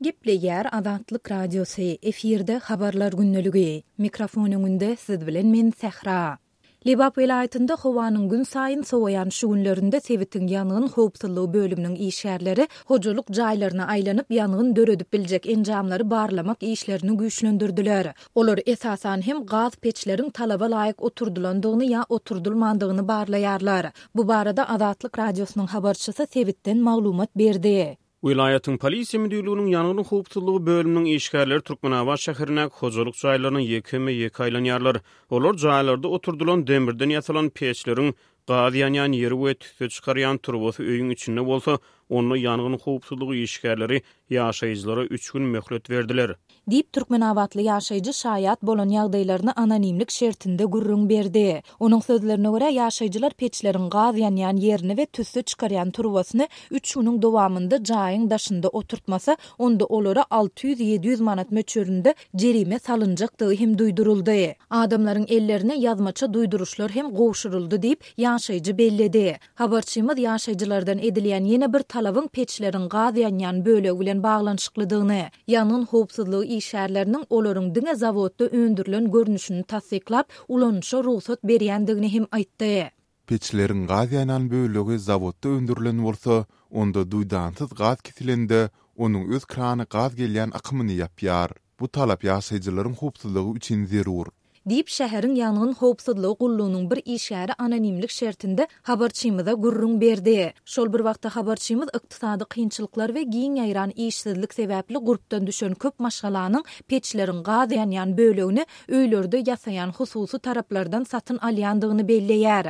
Gepleýär Azatlyk Radiosy, efirde Habarlar gündeligi. Mikrofon öňünde siz bilen men Sähra. Lebap welaýatynda howanyň günsaýyn sowaýan şu günlerinde sebitiň ýangyn howpsuzlygy bölüminiň işgärleri hojalyk jaýlaryna aýlanyp, ýangyn döredip biljek enjamlary barlamak işlerini güýçlendirdiler. Olar esasan hem gaz peçleriň talaba laýyk oturdylandygyny ýa oturdylmandygyny barlaýarlar. Bu barada Azatlyk Radiosynyň habarçysy sebitden maglumat berdi. Welaýatyň Polisiýa müdirliginiň ýangyn howpsuzlygy bölüminiň işgärleri Türkmenabat şäherindäki hojalyk jaýlaryna ýekeme-ýeke aýlanýarlar. Olar jaýlarda oturdylan demirden ýasalan peçleriň gaz ýanýan ýeri we tüsse çykarýan turbasy öýüň içinde bolsa, onda ýangyn howpsuzlygy işgärleri ýaşaýjylara üç gün möhlet berdiler. Diýip, türkmenabatly ýaşaýjy şaýat bolan ýagdaýlaryny anonimlik şertinde gürrüň berdi. Onuň sözlerine görä, ýaşaýjylar peçleriň gaz ýanýan ýerini we tüsse çykarýan turbasyny üç günüň dowamynda jaýyň daşynda oturtmasa, onda olara 600-700 manat möçberinde jerime salynjakdygy hem duýduryldy. Adamlaryň ellerine ýazmaça duýduryşlar hem gowşuryldy diýip, ýaşaýjy belledi. Habarçymyz ýaşaýjylardan edilýän ýene bir talabyň peçleriň gaz ýanýan bölegi bilen baglanyşyklydygyny, ýangyn howpsuzlygy işgärleriniň olaryň diňe zawodda öndürilen görnüşini tassyklap, ulanyşa rugsat berýändigini hem aýtdy. Peçleriň gaz ýanýan bölegi zawodda öndürilen bolsa, onda duýdansyz gaz kesilende, onuň öz krany gaz gelýän akymyny ýapýar. Bu talap ýaşaýjylaryň howpsuzlygy üçin zerur. Diýip, şäheriň ýangyn howpsuzlygy gullugynyň bir işgäri anonimlik şertinde habarçymyza gürrüň berdi. Şol bir wagtda habarçymyz ykdysady kynçylyklar we giň ýaýran işsizlik sebäpli gurpdan düşen köp maşgalanyň peçleriň gaz ýanýan bölegini öýlerde ýasaýan hususy taraplardan satyn alýandygyny belleýär.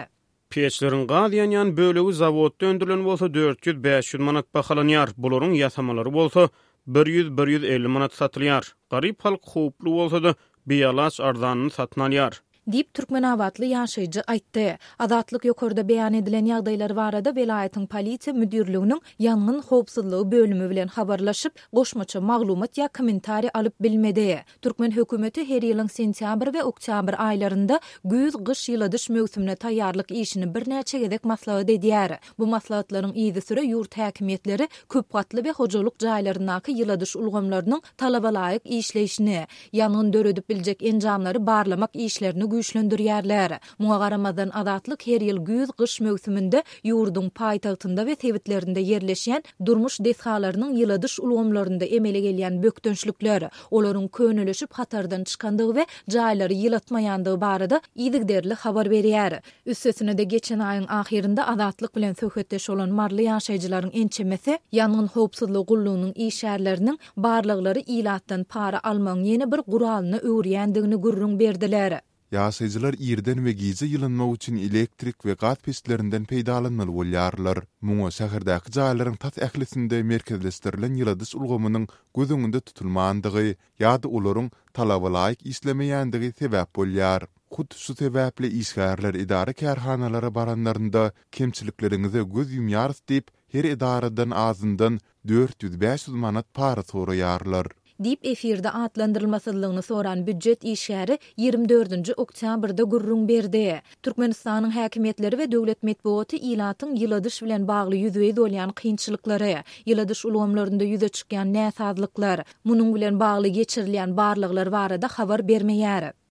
Peçleriň gaz ýanýan bölegi zawodda öndürilen bolsa 400-500 manat bahalanýar, bularyň ýasamalary bolsa 100-150 manat satylýar. Garyp halk howply bolsa-da, bialaç arzanyny satyn alýar. Diýip, türkmenabatly ýaşaýjy aýtdy. Azatlyk ýokarda beýan edilen ýagdaýlar barada welaýatyň polisiýa müdirliginiň ýangyn howpsuzlygy bölümi bilen habarlaşyp, goşmaça maglumat ýa kommentariý alyp bilmedi. Türkmen hökümeti her ýylyň sentýabr we oktýabr aýlarynda güýz-gyş ýyladyş möwsümine taýýarlyk işini birnäçe gezek maslahat edýär. Bu maslahatlaryň yzysüre ýurt häkimiýetleri köpgatly we hojalyk jaýlaryndaky ýyladyş ulgamlarynyň talabalaýyk işleýşini, ýangyn döredip biljek enjamlary barlamak işlerini güýçlendirýärler. Muňa garamazdan, Azatlyk her ýyl güýz-gyş möwsüminde ýurduň paýtagtynda we sebitlerinde ýerleşýän durmuş desgalarynyň ýyladyş ulgamlarynda emele gelýän bökdençlikler, olaryň könelişip hatardan çykandygy we jaýlary ýylatmaýandygy barada yzygiderli habar berýär. Üstesine-de, geçen aýyň ahyrynda Azatlyk bilen söhbetdeş bolan maryly ýaşaýjylaryň ençemesi ýangyn howpsuzlygy gullugynyň işgärleriniň barlaglary ilatdan para almagyň ýene bir guralyna öwürýändigini gürrüň berdiler. Ýaşaýjylar irden we gije ýylynmak üçin elektrik we gaz peçlerinden peýdalanmaly bolýarlar. Muňa şäherdäki jaýlaryň tas ählisinde merkezleşdirilen ýyladyş ulgamynyň göz öňünde tutulmandygy ýa-da olaryň talaba laýyk işlemeýändigi sebäp bolýar. Hut şu sebäpli işgärler edara-kärhanalara baranlarynda kemçilikleriňize göz ýumýarys diýip, her edaradan azyndan 400-500 manat para soraýarlar. Diýip, efirde atlandyrylmasyzlygyny soran býujet işgäri 24-nji oktýabrda gürrüň berdi. Türkmenistanyň häkimiýetleri we döwlet metbugaty ilatyň ýyladyş bilen bagly ýüzbe-ýüz bolýan kynçylyklary, ýyladyş ulgamlarynda ýüze çykýan näsazlyklar, munuň bilen bagly geçirilýän barlaglar barada habar bermeýär.